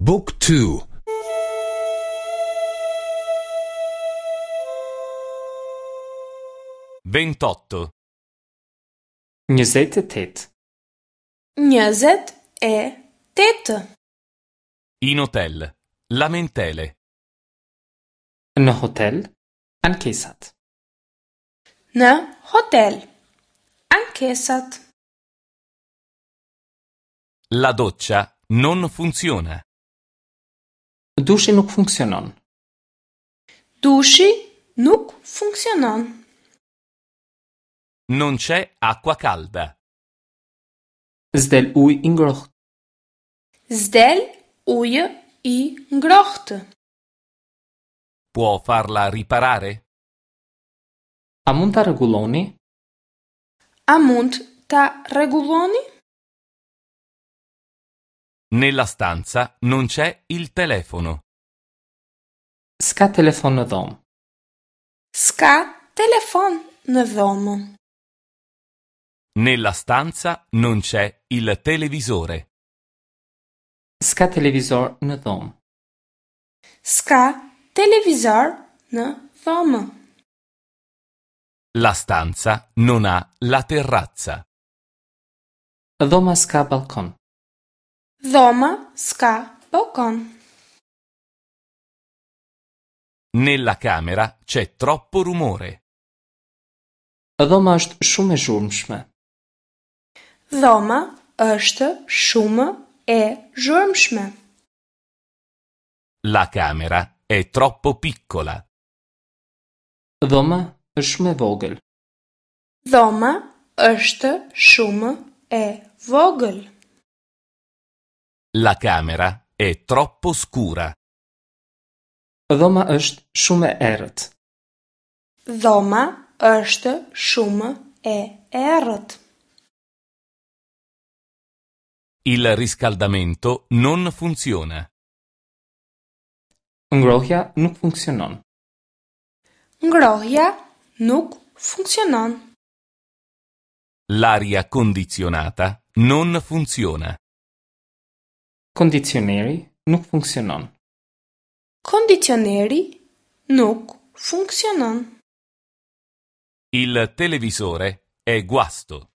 Book 2 28. 28. 28. In hotel. Lamentele. Në hotel, ankesat. Në hotel. Ankesat. La doccia non funziona. Dushi nuk funksionon. Dushi nuk funksionon. Non c'è acqua calda. S'del ujë i ngrohtë. S'del ujë i ngrohtë. Può farla riparare? A mund ta rregulloni? A mund ta rregulloni? Nella stanza non c'è il telefono. S'ka telefon në dhomë. S'ka telefon në dhomë. Nella stanza non c'è il televisore. S'ka televizor në dhomë. S'ka televizor në dhomë. La stanza non ha la terrazza. Dhoma s'ka ballkon. Dhoma s'ka ballkon. Nella camera c'è troppo rumore. Dhoma është shumë e zhurmshme. Dhoma është shumë e zhurmshme. La camera è troppo piccola. Dhoma është shumë e vogël. Dhoma është shumë e vogël. La camera è troppo scura. Dhoma është shumë e errët. Dhoma është shumë e errët. Il riscaldamento non funziona. Ngrohja nuk funksionon. Ngrohja nuk funksionon. L'aria condizionata non funziona. Kondicioneri nuk funksionon. Kondicioneri nuk funksionon. Il televisore è guasto.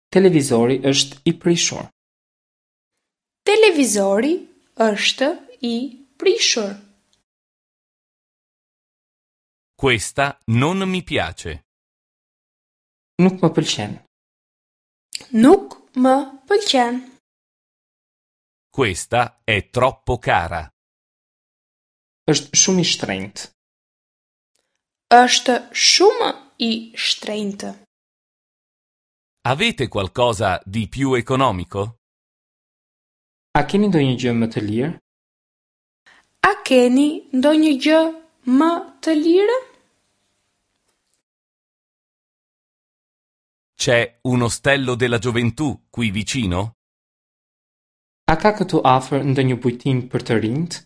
Televizori është i prishur. Televizori është i prishur. Questa non mi piace. Nuk më pëlqen. Nuk më pëlqen. Questa è troppo cara. Është shumë i shtrenjtë. Është shumë i shtrenjtë. Avete qualcosa di più economico? A keni ndonjë gjë më të lirë? A keni ndonjë gjë më të lirë? C'è un ostello della gioventù qui vicino? A ka këtu afër ndonjë bujtinë për të rinjtë?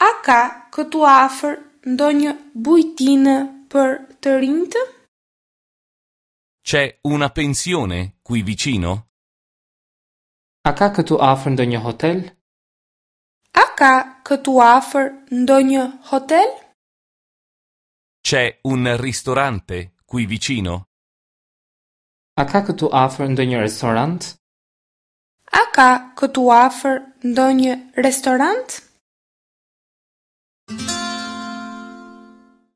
A ka këtu afër ndonjë bujtinë për të rinjtë? C'è una pensione qui vicino? A ka këtu afër ndonjë hotel? A ka këtu afër ndonjë hotel? C'è un ristorante qui vicino? A ka këtu afër ndonjë restorant? A ka këtu afër ndonjë restorant?